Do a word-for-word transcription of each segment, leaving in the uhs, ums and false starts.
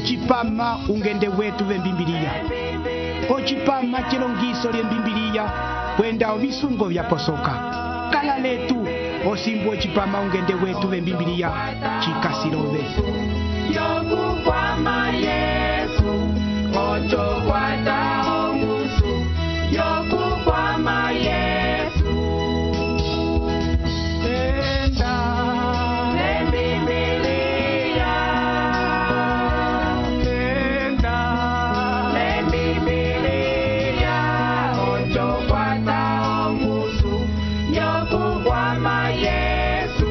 ocipama ungende wetu vembimbiliya, ocipama cilongiso lyembimbiliya kwenda ovisungo vyaposoka. Kala letu osimbu ocipama ungende wetu vembimbiliya cikasilove. Yokukwama Yesu, ocho kwata ongusu. Yokukwama Yesu, Enda Lembibiliya, enda Lembibiliya, ocho kwata ongusu. Yokukwama Yesu,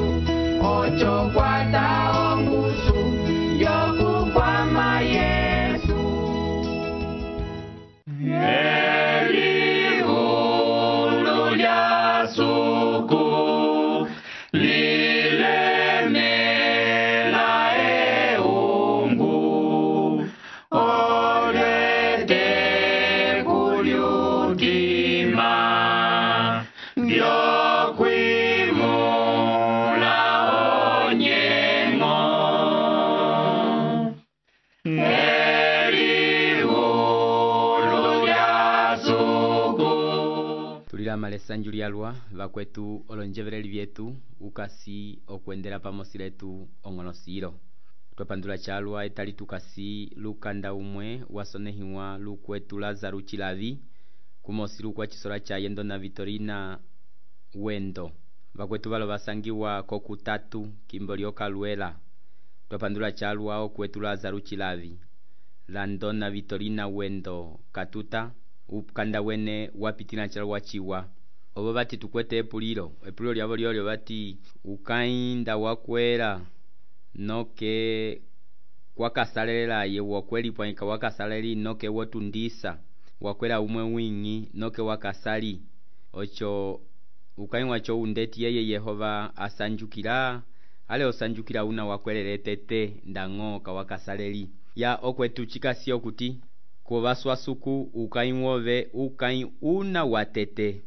ocho kwata ongusu. Yokukwama Yesu. Elihulu lya suku lilemela eungu, olete kulyukima vyokwimula onyengo. Elihulu lya suku. Tulila malesanju lyalwa vakwetu olonjevereli vyetu ukasi okwendela pamosi letu ong'onosilo. Twapandula chalwa etali tukasi lukanda umwe wasonehiwa lukwetu Lazaro Chilavi kumosi lukwa chisola cha yendo na Vitorina Wendo. Vakwetu valo vasangiwa kokutatu kimbo lyokalwela. Twapandula chalwa okwetu Lazaro Chilavi, Landona Vitorina Wendo Katuta, ukanda wene wapitina chalwa chiwa. Obo bati tukwete epulilo, epulilo lyabo lyolyo bati ukainda wakwera noke wakasalela ye wakweli pwanika wakasaleri noke wotundisa wakwera umwe wingi noke wakasali. Ocho ukainwa cho undeti yeye Yehova asanjukira ale osanjukira una wakwelele tete ndango kawakasaleri ya okwetu chikasi okuti kubaswa suku ukainwove ukain una watete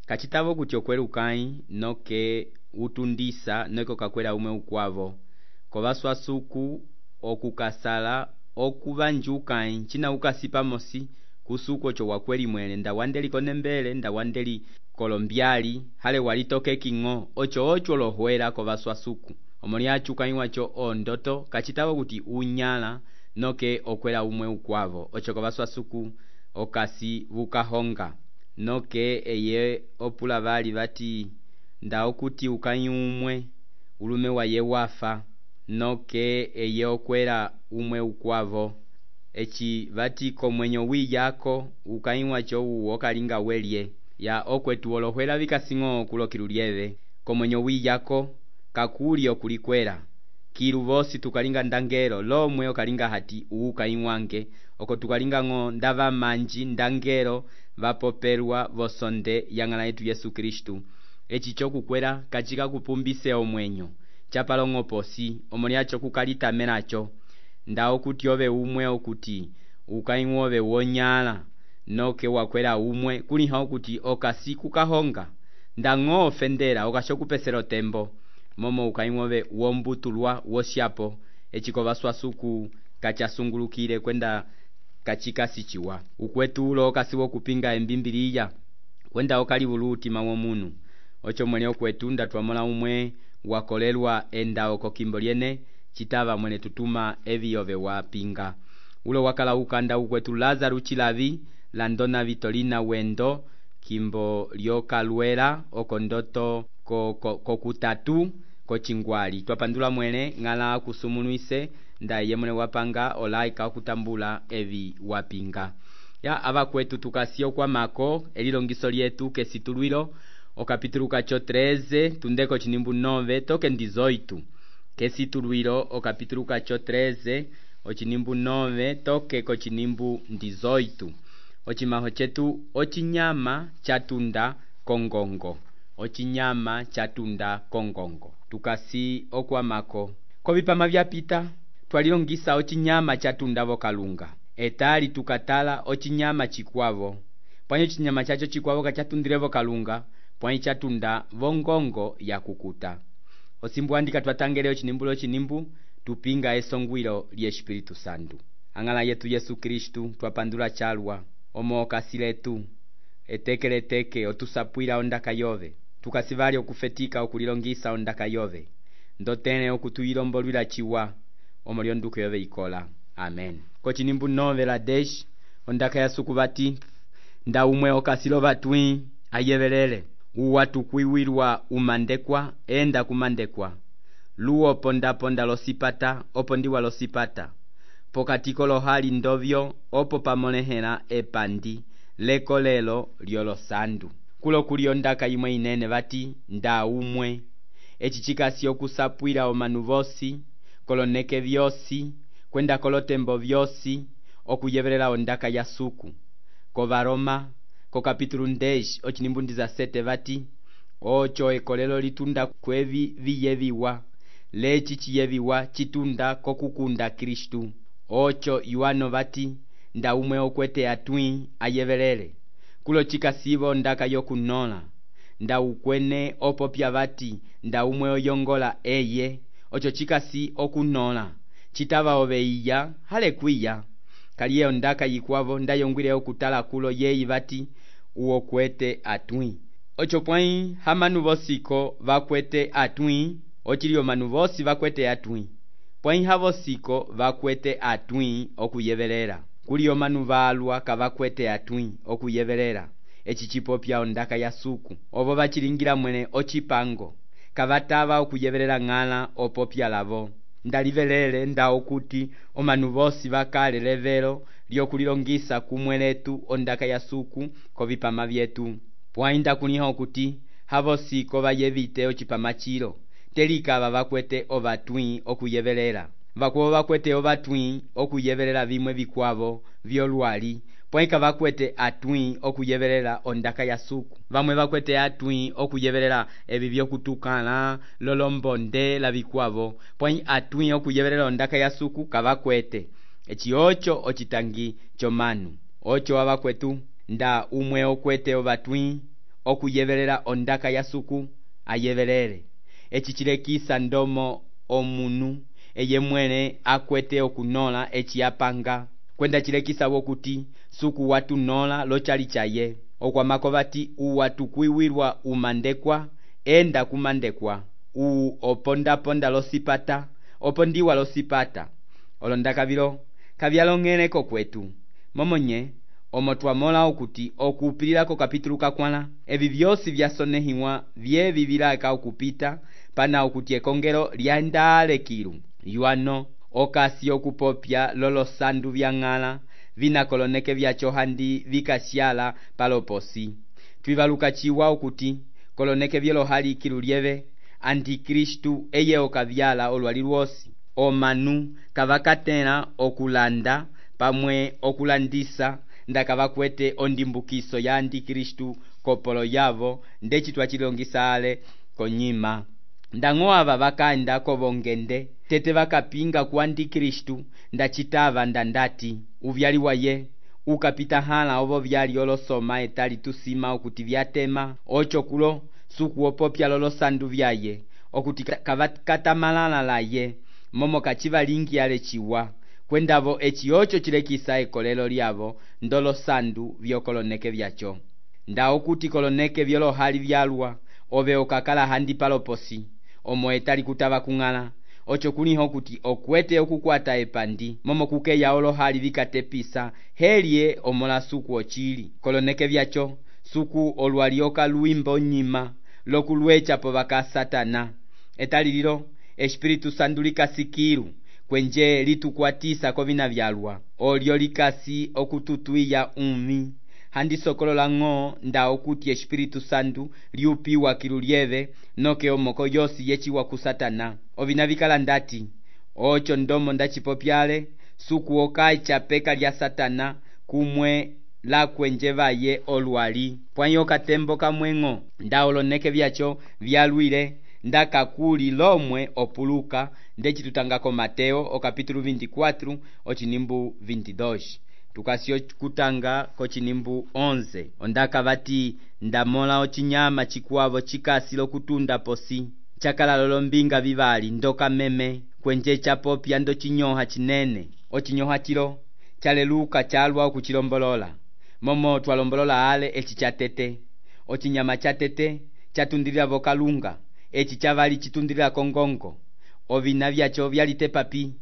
kachitavo kuti okwela ukain noke utundisa noke kakwela umwe ukwavo kubaswa suku okukasala okubanjukain china ukasipa mosi kusuko cho wakweli mwele nda wandeli konembele nda wandeli kolombiali hale walitoke kingo ocho ocho lohwela kubaswa suku omoli achukainwa cho ondoto kachitavo kuti unyala noke okwela umwe ukwavo ocho kubaswa suku okasi vukahonga noke eye opula bali bati nda okuti ukain umwe ulume wa ye wafa noke eye okwela umwe ukwavo echi bati komwenyo wi yako ukainwa cho uokalinga welye ya okwetu olohwela bikasingo kulokilulieve komwenyo wi yako kakuli okulikwela kiluvosi tukalinga ndangelo lomwe okalinga hati uukainwange oko tukalinga ngo ndava manji ndangelo vapopelwa vosonde yangala yetu Yesu Kristu echi chokukwela kachika kupumbise omwenyo chapalongo posi omoli acho kukalita menacho nda okuti ove umwe okuti ukainwove wonyala noke wakwela umwe kuliha okuti okasi kukahonga ndango ofendela okashokupeselo tembo momo ukainwove wombutulwa woshapo echiko baswa suku kachasungulukile kwenda kachika sichiwa ukwetu ulo kasiwo kupinga embimbiliya kwenda okali buluti mawo munu ocho mwene okwetu ndatwamola umwe wakolelwa enda oko kimbo lyene chitava mwene tutuma eviyove wapinga ulo wakala ukanda ukwetu Lazaro Chilavi, Landona Vitorina Wendo kimbo lyokalwela oko ndoto kokutatu ko, ko kochingwali twapandula mwene ngala kusumunuise nda yemwe wapanga olaika kutambula evi wapinga ya aba kwetu tukasio kwa mako elilongiso lyetu kesitulwilo okapitulu kacho treze tundeko chinimbu nove toke ndizoitu kesitulwilo okapitulu kacho treze ochinimbu nove toke ko chinimbu ndizoitu ochimaho chetu ochinyama chatunda kongongo ochinyama chatunda kongongo tukasi okwamako kobipama vyapita twalilongisa ochinyama chatunda vokalunga etali tukatala ochinyama chikwavo pwanyo chinyama chacho chikwavo kachatundile vokalunga pwanyo chatunda vongongo ya kukuta osimbu andika twatangele ochinimbulo chinimbu tupinga esongwilo lye Espiritu Santo. Ang'ala yetu Yesu Kristu twapandula chalwa omo okasi letu etekeleteke otusapwila ondaka yove tukasivali okufetika okulilongisa ondaka yove ndotene okutuyilombolwila chiwa omo lyonduko yove ikola. Amen. Kochinimbu nove la desh ondaka ya sukubati nda umwe okasilo batwi ayevelele uwa tukwiwilwa umandekwa enda kumandekwa luo ponda ponda losipata opo ndiwa losipata pokatiko lohali ndovyo opo pamonehela epandi lekolelo lyolo sandu kulo kuli ondaka imwe inene bati nda umwe echi chikasi okusapwila omanu vosi koloneke vyosi kwenda kolotembo vyosi okuyevelela ondaka ya suku ko Varoma ko kapitulu ndesh ochinimbundiza sete bati ocho ekolelo litunda kwevi viyeviwa lechi chiyeviwa chitunda kokukunda Kristu. Ocho yuano bati nda umwe okwete atwi ayevelele kulo chikasibo ndaka yokunola nda ukwene opopya bati nda umwe oyongola eye ocho chikasi okunola chitaba obeiya hale kwiya kaliye ondaka yikwavo ndayongwile okutala kulo yeyi bati uo kwete atwi ocho pwai hamanu bosiko bakwete atwi ochilio manu bosi bakwete atwi pwai habosiko bakwete atwi okuyevelela kulio manu balwa kabakwete atwi okuyevelela echi chipopya ondaka ya suku obo bachilingira mwene ochipango kabataba okuyevelela ng'ala opopya lavo ndalivelele nda okuti omanu bosi bakale levelo lyokulilongisa kumwe letu ondaka ya suku kovipama vyetu pwainda kuniha okuti habosiko bayevite ochipama chilo telikaba bakwete obatwi okuyevelela bakubo bakwete obatwi okuyevelela bimwe bikwavo vyolwali pwaika bakwete atwi okuyevelela ondaka ya suku bamwe bakwete atwi okuyevelela ebi byokutukana lolombonde la bikwavo pwai atwi okuyevelela ondaka ya suku kabakwete echi ocho ochitangi chomanu ocho abakwetu nda umwe okwete obatwi okuyevelela ondaka ya suku ayevelele echi chilekisa ndomo omunu eye mwene akwete okunola echi apanga kwenda chilekisa wokuti suku watu nola lochali chaye okwamako bati uwatu kwiwirwa umandekwa enda kumandekwa u oponda ponda losipata opondiwa losipata olondaka bilo kabyalongeleko kwetu momonye omo twamola okuti okupilila ko kapitulu kakwana ebi byosi byasonehiwa bye bibilaka okupita pana okuti ekongelo lyandale kilu yuano okasi okupopya lolo sandu byang'ala vinakoloneke byacho handi vikashyala paloposi twibaluka chiwa okuti koloneke byelo hali kilu lyeve antikristu eye okabyala olwali lwosi omanu kabakatela okulanda pamwe okulandisa ndakabakwete ondimbukiso ya antikristu kopolo yavo ndechi twachilongisa ale konyima ndang'o aba bakanda kobongende tete bakapinga ku antikristu ndachitava ndandati uvyali waye ukapita hala obo byali olosoma etali tusima okuti byatema ocho kulo suku opopya lolo sandu byaye okuti kavakatamalala laye momo kachivalingi ale chiwa kwendavo echi ocho chilekisa ekolelo lyavo ndolo sandu byokoloneke byacho nda okuti koloneke byolo hali byalwa obe okakala handi paloposi omo etali kutaba kung'ala ocho kuniho kuti okwete okukwata epandi momo kukeya olo hali vikatepisa helye omola suku ochili koloneke byacho suku olwalioka luimbo nyima lokulwecha po baka satana etali lilo Espiritu Sandu likasikiru kwenje litukwatisa kovina byalwa olyo likasi okututwiya umi handi sokolola ng'o nda okuti Espiritu Sandu liupiwa kilu lyeve noke omoko yosi yechiwa ku satana ovina vikala ndati ocho ndomo ndachipopyale suku okai chapeka lya satana kumwe la kwenje vaye olwali pwanyo katembo kamweng'o nda oloneke byacho byalwile ndakakuli lomwe opuluka ndechitutangako Mateo o kapitulu veinticuatro ochinimbu veintidós tukasio kutanga kochinimbu onze ondaka bati ndamola ochinyama chikwavo chikasi lokutunda posi chakala lolombinga bibali ndoka meme kwenje chapopya ndo chinyoha chinene. Ochinyoha chilo chaleluka chalwa okuchilombolola, momo twalombolola ale echi chatete. Ochinyama chatete chatundilira vokalunga, echi chavali chitundilira kongongo. Ovina vyacho vyalite papi,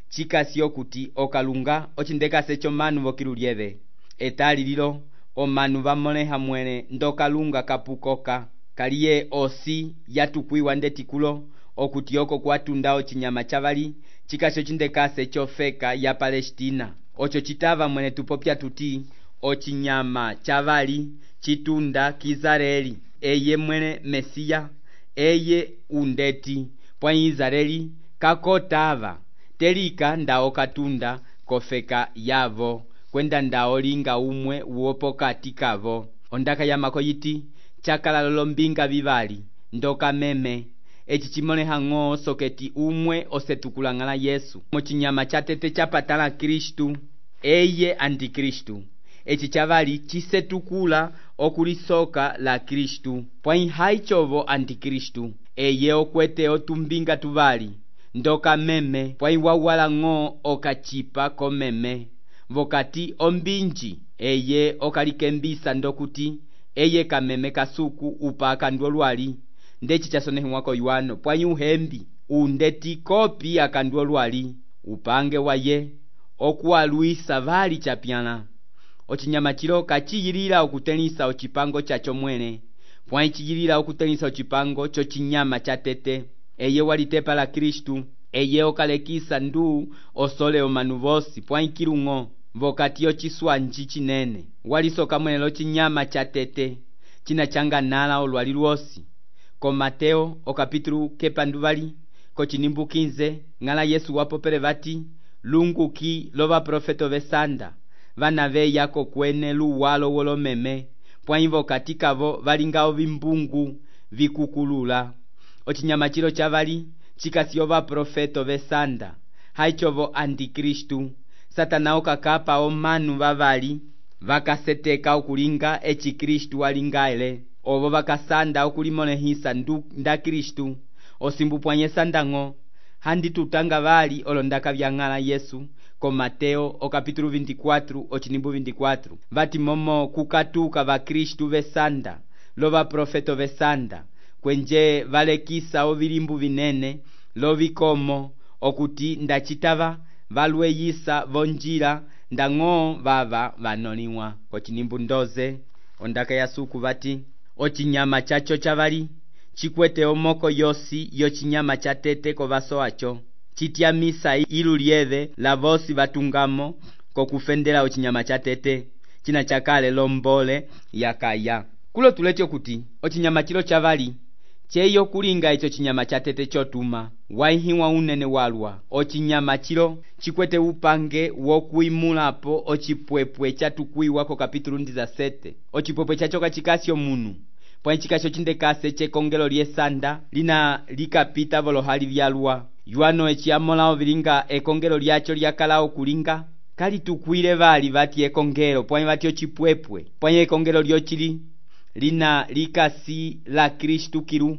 chikasi okuti okalunga ochindekase cho manu vokilulieve. Etali lilo omanu vamoleha mwene ndokalunga kapukoka, kaliye osi yatukwiwa ndetikulo okuti oko kwatunda ochinyama chavali chikasi ochindekase chofeka ya Palestina. Ocho chitava mwene tupopya tuti ochinyama chavali chitunda Kizareli, eye mwene Mesia, eye undeti pwa Israeli kakotava telika ndao katunda kofeka yavo kwenda ndao linga umwe uopokati kavo. Ondaka yamako yiti chakala lolombinga vivali ndoka meme echi chimoleha ng'o soketi umwe osetukulang'ala Yesu. Mochinyama chatete chapatala Kristu, eye antikristu. Echi chavali chisetukula okulisoka la Kristu, pwa haichovo antikristu, eye okwete otumbinga tuvali ndoka meme pwa iwawala ng'o okachipa komeme vokati ombinji, eye okalikembisa ndokuti eye kameme kasuku upaka ndolwali ndechi chasonehwako yuano pwa yuhembi undeti kopi akandolwali upange waye okuwaluisa vali chapyana. Ochinyama chilo kachiyilila okutenisa ochipango chacho mwene, pwa ichiyilila okutenisa ochipango cho chinyama chatete. Eye walitepa la Kristu, eye okalekisa ndu osole omanu vosi pwa ikilung'o vokati ochiswanji chinene. Walisoka mwene lo chinyama chatete china changa nala olwali lwosi. Ko Mateo okapitulu kepanduvali kochinimbu kinze ng'ala Yesu wapopele vati lunguki lova profeto vesanda vana veya kokwene luwalo wolomeme pwa ivo katikavo valingao vimbungu vikukulula. Ochinyama chilo chavali chikasi ova profeto vesanda haichovo antikristu. Satana okakapa omanu vavali vakaseteka okulinga echi Kristu walingaele, ovo vakasanda okulimonehisa ndu nda Kristu osimbu pwanye sandang'o handi tutanga vali olondaka vyang'ala Yesu. Ko Mateo okapitulu veintikwatro ochinimbu veintikwatro vati momo kukatuka va Kristu vesanda lova profeto vesanda kwenje valekisa ovilimbu vinene lovikomo okuti ndachitava valweyisa vonjila ndang'o vava vanoliwa. Kochinimbu ndoze ondaka yasuku vati ochinyama chacho chavali chikwete omoko yosi yochinyama chatete kovaso acho chitya misa ilulieve la vosi vatungamo kokufendela ochinyama chatete china chakale lombole yakaya. Kulo tulete okuti ochinyama chilo chavali cheyo kulinga icho chinyama chatete chotuma waihiwa unene walwa. Ochinyama chilo chikwete upange wokuimulapo ochipwepwe chatukwiwa ko kapitulu ndiza sete. Ochipwepwe chacho kachikasyo munu pwa chikasyo chindekase chekongelo lyesanda lina likapita volohali vyalwa yuano echiamolao vilinga ekongelo lyacho lyakalao kulinga kali tukwile vali vati ekongelo pwa vati ochipwepwe pwa ekongelo lyochili lina likasi la Kristu kilu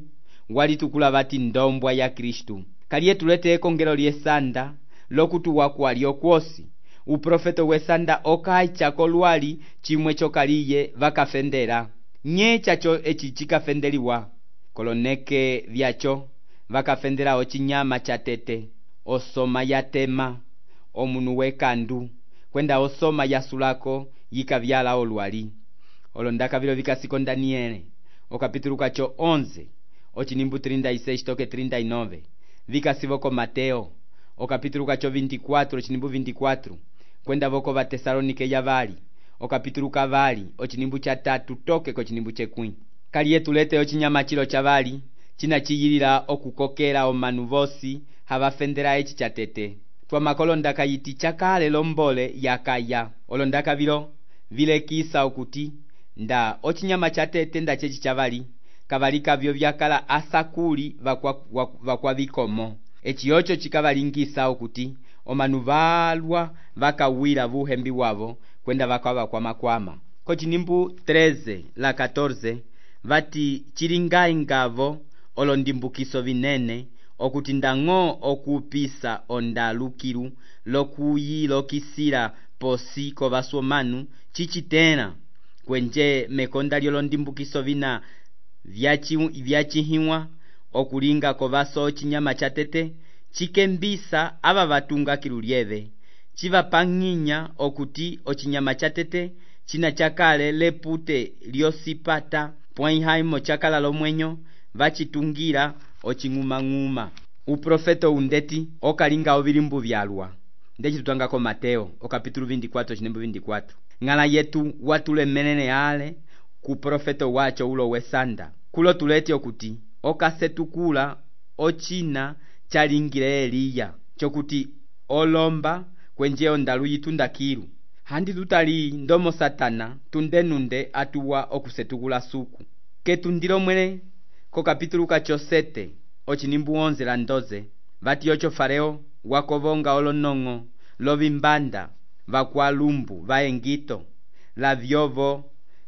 walitukula vati ndombwa ya Kristu. Kaliye tulete ekongelo lyesanda lokutuwa kwali okwosi uprofeto wesanda okaicha kolwali chimwe chokaliye vakafendera nye chacho echi chikafendeliwa koloneke vyacho vakafendera ochinyama chatete osoma yatema omunu wekandu kwenda osoma yasulako yikavyala olwali. Olondaka vilo vikasiko Daniele okapitulu kacho onze ochinimbu treinta y seis toke treinta y nueve vikasivo ko Mateo okapitulu kacho veinticuatro ochinimbu veinticuatro kwenda voko va Tesalonike yavali okapitulu kavali ochinimbu cha tatu toke ko chinimbu chekwi. Kaliye tulete ochinyama chilo chavali china chiyilila okukokela omanu vosi havafendera echi chatete. Twa makolondaka yiti chakale lombole yakaya. Olondaka vilo vilekisa okuti nda ochinyama chatete nda chechi chavali kavalika vyo vyakala asakuli vakwa, vakwa vikomo. Echi ocho chikavalingisa okuti omanu valwa vakawira vuhembi wavo kwenda vakava kwa makwama. Kochinimbu treze la catorce vati chilingai ngavo olondimbukiso vinene okuti ndang'o okupisa ondalukilu lokuyilokisila posi kovasomanu cichitela kwenje mekonda lyolondimbukiso vina vyacihiwa okulinga kovaso cinyama cha tete cikembisa ava vatunga kilu lyeve civapang'inya okuti ocinyama cha tete cina chakale lepute lyosipata pwai haimo chakala lomwenyo vacitungira ocing'umang'uma. Uprofeto undeti okalinga ovilimbu vyalwa ndeci tutangako Mateo okapitulo vinte e quatro chinembo vinte e quatro. Ng'ala yetu watulemelele ale ku profeto wacho ulo wesanda kulo tuleti okuti okasetukula ocina chalingile Eliya chokuti olomba kwenje ondalu yitunda kilu handi tutali ndomo Satana tundenunde atuwa okusetukula suku ketundilo mwele ko kapitulu kachosete ochinimbu onze la ndoze vati ocho fareo wakovonga olonongo lovimbanda vakwalumbu vaengito la vyovo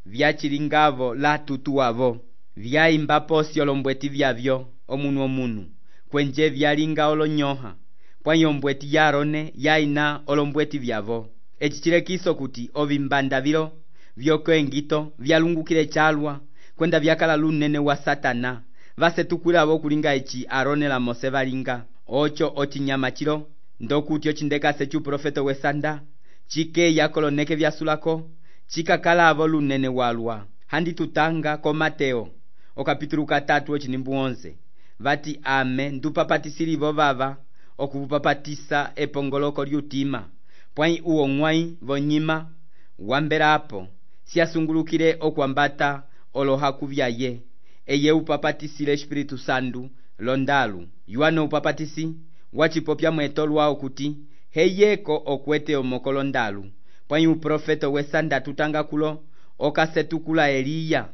vyachilingavo la tutuavo vyaimba posi olombweti vyavyo omunu omunu kwenje vyalinga olonyoha pwai ombweti yarone yaina olombweti vyavo echichilekiso kuti ovimbanda vilo vyokoengito vyalungukile chalwa kwenda vyakala lunene wa Satana vasetukulavo kulinga echi Arone la Mose valinga ocho ochinyama chilo ndokuti ochindekase chu profeto wesanda chike yakoloneke vyasulako chikakalavo lunene walwa handi tutanga ko Mateo okapitulu katatu ochinimbu onze vati ame ndupapatisilivo vava okupapatisa epongoloko lyutima pwai uwo ng'wai vonyima wambelapo siasungulukile okwambata olohaku vyaye eye upapatisile Espiritu Sandu londalu yuano upapatisi wachipopya mweto lwao kuti heyeko okwete omokolo ndalu pwai uprofeto wesanda tutanga kulo okasetukula Eliya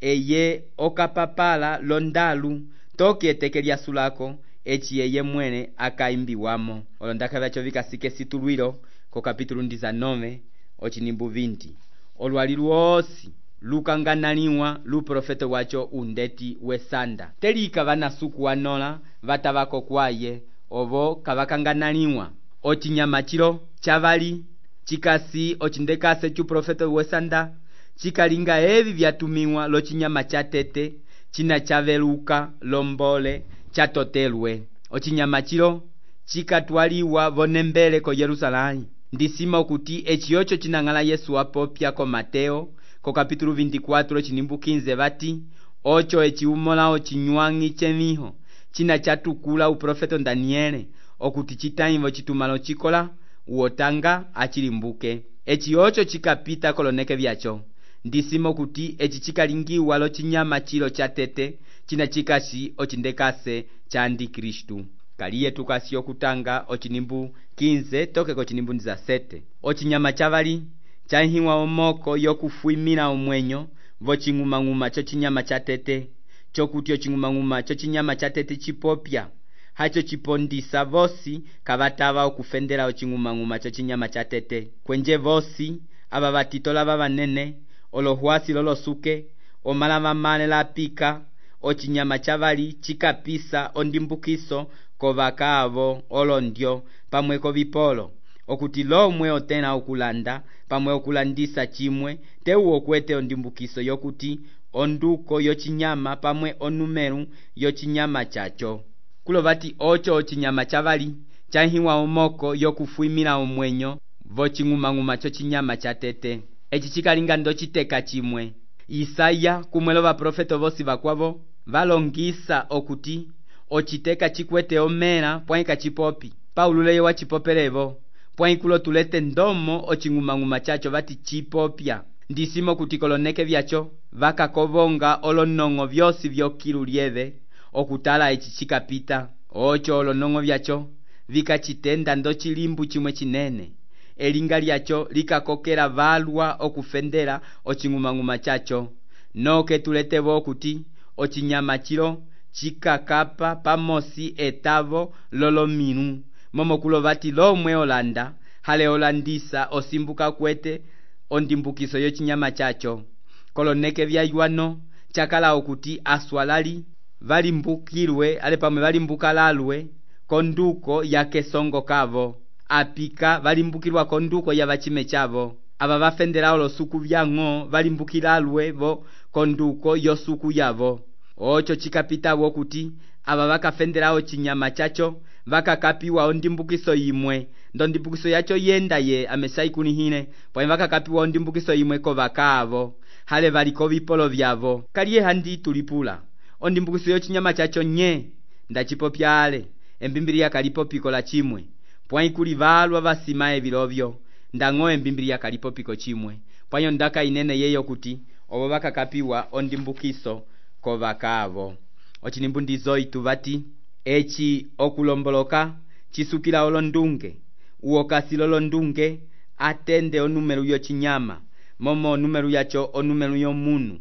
eye okapapala londalu toki eteke lyasulako echi eye mwene akaimbiwamo olondaka vyacho vikasike situlwilo ko kapitulu dezanove ochinimbu vinti olwali lwosi lukanganaliwa lu profeto wacho undeti wesanda telika vanasuku wanola vatavako kwaye ovo kavakanganaliwa ochinyama chilo chavali chikasi ochindekase chu profeto wesanda chikalinga evi vyatumiwa lochinyama cha tete china chaveluka lombole chatotelwe ochinyama chilo chikatwaliwa vonembele ko Yerusalemu ndisima okuti echiyocho chinang'ala Yesu apopya ko Mateo ko kapitulu vinte e quatro chinimbu quinze vati ocho echiumola ochinywangi chemiho china chatukula uprofeto Daniele okuti chitaimvo chitumalo chikola uotanga achilimbuke echiyocho chikapita koloneke vyacho ndisima okuti echi chikalingiwa lo chinyama chilo cha tete china chikashi ochindekase cha Antikristu kaliye tukasi okutanga ochinimbu quinze toke ko chinimbu dezasete ochinyama chavali chahiwa omoko yokufuimila omwenyo voching'umang'uma cho chinyama cha tete chokuti oching'umang'uma cho chinyama cha tete chipopya hacho chipondisa vosi kavatava okufendela oching'umang'uma cho chinyama cha tete kwenje vosi aba batitola babanene olohwasi lolosuke omalava male la pika ochinyama chavali chikapisa ondimbukiso kovakavo olondyo pamweko vipolo okuti lomwe otena okulanda pamwe okulandisa chimwe teuwo kwete ondimbukiso yokuti onduko yochinyama pamwe onumeru yochinyama chacho kulo vati ocho ochinyama chavali chahiwa omoko yokufuimila omwenyo voching'umang'uma cho chinyama cha tete echi chikalinga ndo chiteka chimwe Isaya kumwelo baprofeto vosi bakwavo valongisa okuti ochiteka chikwete omera pwai kachipopi Paululeyo wachipopelevo pwai kulo tulete ndomo oching'umang'uma chacho vati chipopya ndisimo kuti koloneke vyacho vakakovonga olonongo vyosi vyokilu lyeve okutala echi chikapita ocho olonongo vyacho vikachitenda ndo chilimbu chimwe chinene elinga lyacho likakokela valwa okufendela oching'umang'uma chacho noke tuletevo okuti ochinyama chilo chikakapa pamosi etavo lolomilu momo kulo vati lomwe olanda hale olandisa osimbuka kwete ondimbukiso yochinyama chacho koloneke vya yuano chakala okuti aswalali valimbukilwe ale pamwe valimbukalalwe konduko ya kesongo kavo, apika valimbukilwa konduko ya vachime chavo, ava vafendela olosuku vyang'o valimbukilalwe vo konduko yosuku yavo. Ocho chikapitawo kuti ava vakafendelawo chinyama chacho vakakapiwa ondimbukiso yimwe, ndo ndimbukiso yacho yenda ye amesaikunihile pwa vakakapiwa ondimbukiso yimwe ko vakavo hale valiko vipolo vyavo. Kaliye handi tulipula ondimbukiso yo chinyama chacho nye ndachipopyale embimbiliya kalipo piko la chimwe pwa ikuli valwa vasimaye vilovyo ndang'o embimbiliya kalipo piko chimwe pwanyo ndaka inene yeyo kuti obo vakakapiwa ondimbukiso ko vakavo. Ochinimbu ndizo itu vati echi okulomboloka chisukila olondunge uokasilo londunge atende onumelu yo chinyama momo onumelu yacho onumelu yo munu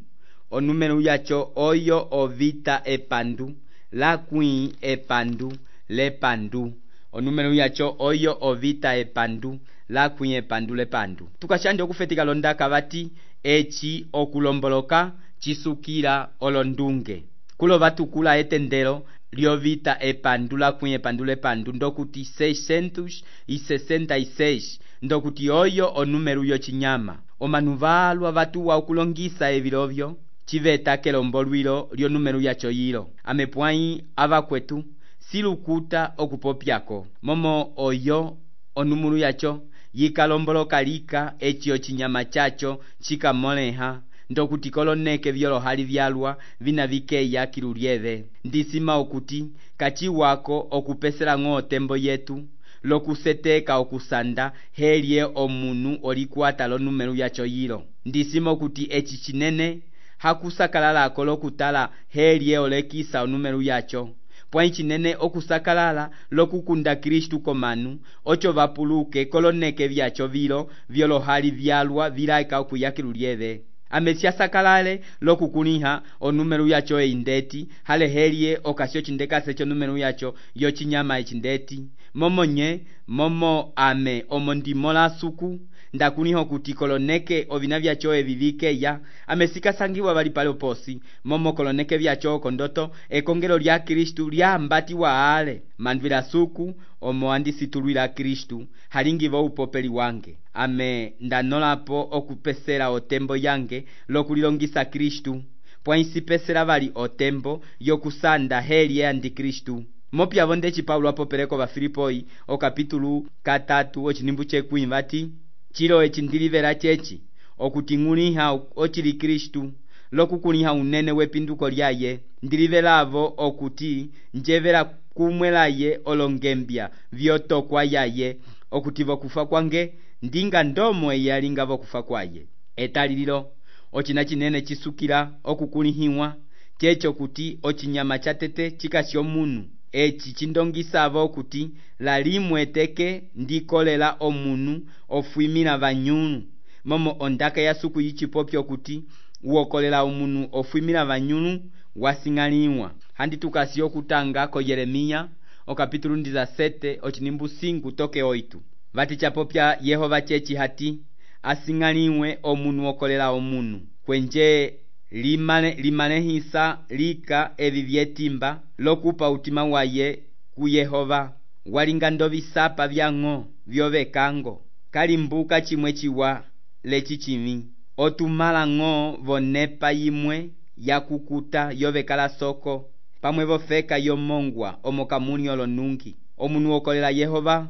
onumelu yacho oyo ovita epandu la kui epandu lepandu onumelu yacho oyo ovita epandu la kui epandu lepandu. Tukashande okufetika londaka vati echi okulomboloka chisukila olondunge kulo vatukula etendelo liovita epandu la kui epandu lepandu ndokuti seiscentos e sessenta e seis ndokuti oyo onumelu yo chinyama omanu valwa vatuwa okulongisa evilovyo chiveta kelombolwilo lyo numelu yacho yilo amepwai avakwetu silukuta okupopyako momo oyo onumelu yacho yikalomboloka lika echi chinyama chacho chikamoleha ndokuti koloneke vyolohali vyalwa vina vikeya kilulieve ndisima okuti kachiwako okupesela ng'o tembo yetu lokuseteka okusanda helye omunu olikuata lonumelu yacho yilo ndisima okuti echi chinene hakusakalalako lokutala helye olekisa onumelu yacho pwa ichinene okusakalala lokukunda Kristu komanu ocho vapuluke koloneke vyacho vilo vyolohali vyalwa vilaika okuyakilulieve amesia sakalale lokukuniha onumelu yacho eindeti hale helye okasio chindekase cho numelu yacho yo chinyama echindeti momo nye momo ame omo ndimola suku ndakuniho kuti koloneke ovina vyacho evivikeya amesika sangiwa vali pale oposi momo koloneke vyacho kondoto ekongelo lya Kristu lya mbati wa ale mandvila suku omo andisitulwila Kristu halingivo upopeli wange ame ndanolapo okupesela otembo yange lokulilongisa Kristu pwa isipesela vali otembo yokusanda helye andi Kristu. Mopyavo ndechi Paulo apopeleko va Filipoi o kapitulu katatu ochinimbu chekwi vati chilo echindilivela chechi okuting'uliha ochili Kristu lokukuniha unene wepinduko lyaye ndilivelavo okuti njevela kumwelaye olongembya vyotokwa yaye okuti vokufa kwange ndinga ndomo eyalinga vokufa kwaye etalililo ochina chinene chisukila okukunihiwa checho kuti ochinyama chatete chikasyo munu echi chindongisavo kuti lalimweteke ndikolela omunu ofwimila vanyunu momo ondaka ya suku yichipopyo kuti uokolela omunu ofwimila vanyunu wasing'aliwa handi tukasio kutanga ko Yeremia o kapitulu ndiza sete ochinimbu cinco toke oito vati chapopya Yehova chechi hati asing'aliwe omunu okolela omunu kwenje limane limanehisa lika evi vyetimba lokupa utima waye ku Yehova walinga ndovisapa vyang'o vyovekango kalimbuka chimwe chiwa lechichimi otumala ng'o vonepa yimwe yakukuta yovekala soko pamwe vofeka yomongwa omokamuni olonungi omunu okolela Yehova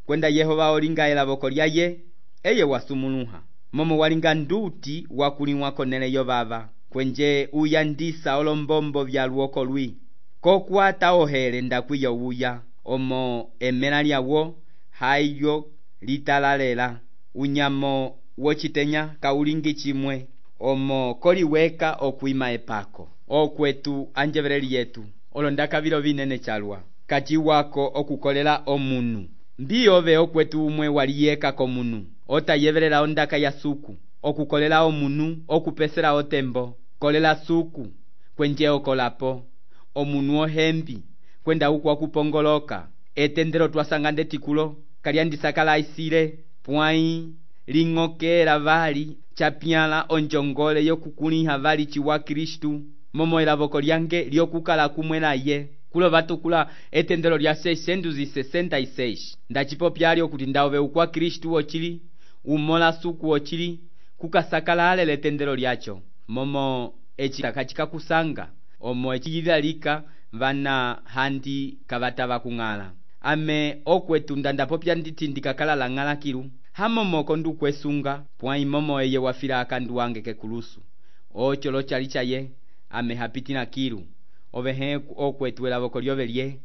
kwenda Yehova olinga elavoko lyaye eye wasumuluha momo walinga nduti wakuliwa konele yovava kwenje uyandisa olombombo vya luoko lwi kokwata ohele ndakwiyo uya omo emela lyawo hayo litalalela unyamo wochitenya kaulingi chimwe omo koliweka okwima epako okwetu anjeveleli yetu olondaka vilo vinene chalwa kachiwako okukolela omunu mbiyove okwetu umwe waliyeka komunu otayevelela ondaka ya suku okukolela omunu okupesela otembo kolela suku kwenje okolapo omunu ohembi kwenda uku wakupongoloka etendelo twasangande tikulo kalyandisakala isile pwai ling'okela vali chapyala onjongole yokukuliha vali chiwa Kristu momo elavoko lyange lyokukala kumwe naye kulova tukula etendelo lya seiscentos e sessenta e seis ndacipopyalyo kuti ndawove ukwa Kristu wocili umola suku wocili kukasakala ale letendelo lyacho momo ecitaka cikakusanga omo ecililalika vana handi kavatava kung'ala ame okwetu ndandapopya nditi ndikakala la ng'ala kilu hamomoko ndukwesunga pwa imomo eye wafila akandu wange kekulusu ocho lochali chaye ame hapitina kilu ovehe okwetu elavoko lyove lye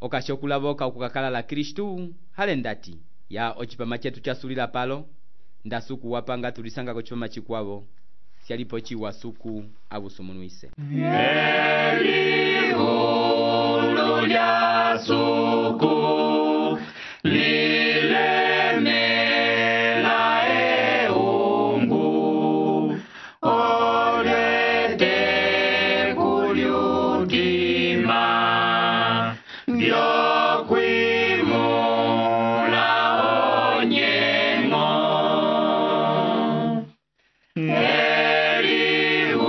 okashokulavoka okukakala la Kristu hale ndati ya ocipama chetu chasulila palo ndasuku wapanga tulisanga kochipama chikwavo sialipo chiwa suku avusumunuise Eliulu lya suku lilemela eungu olete kulyutima vyokwimula onyengo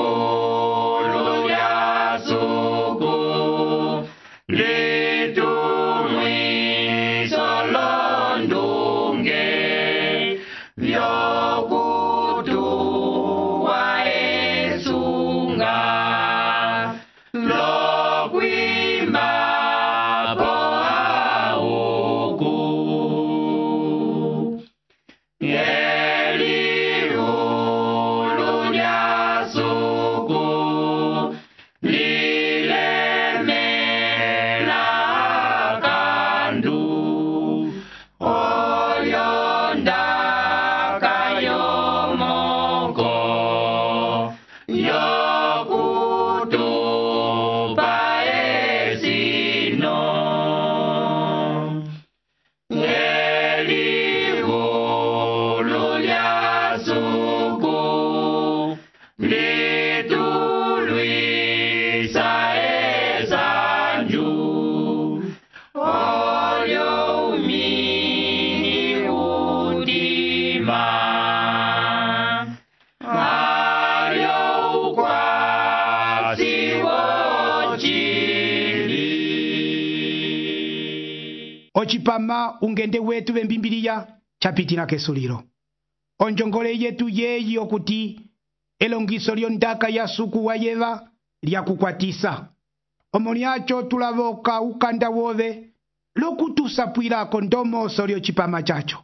Eliulu lya suku litumwiso londunge vyokutuwa esunga lokwimba po auku Eliulu lya suku lilemela kandu olyonda kayomoko yokutupa esino Eliulu lya suku litulwisa esanju olyo umini udima alyo ukwasi wocili ocipama ungende wetu vembimbiliya chapitina kesulilo onjongole yetu yeyi okuti elongiso lyondaka ya suku wayeva lyakukwatisa omo lyacho tulavoka ukanda wove lokutusapwilako ndomoso lyocipama chacho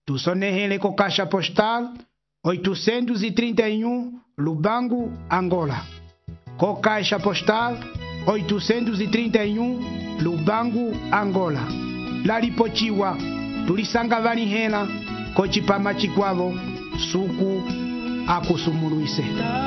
tusonehele ko caixa postal oitocentos e trinta e um Lubango, Angola. Co caixa postal oitocentos e trinta e um Lubango, Angola. Lalipochiwa tulisanga vanihela ko cipama chikwavo suku akusumuluise. Yo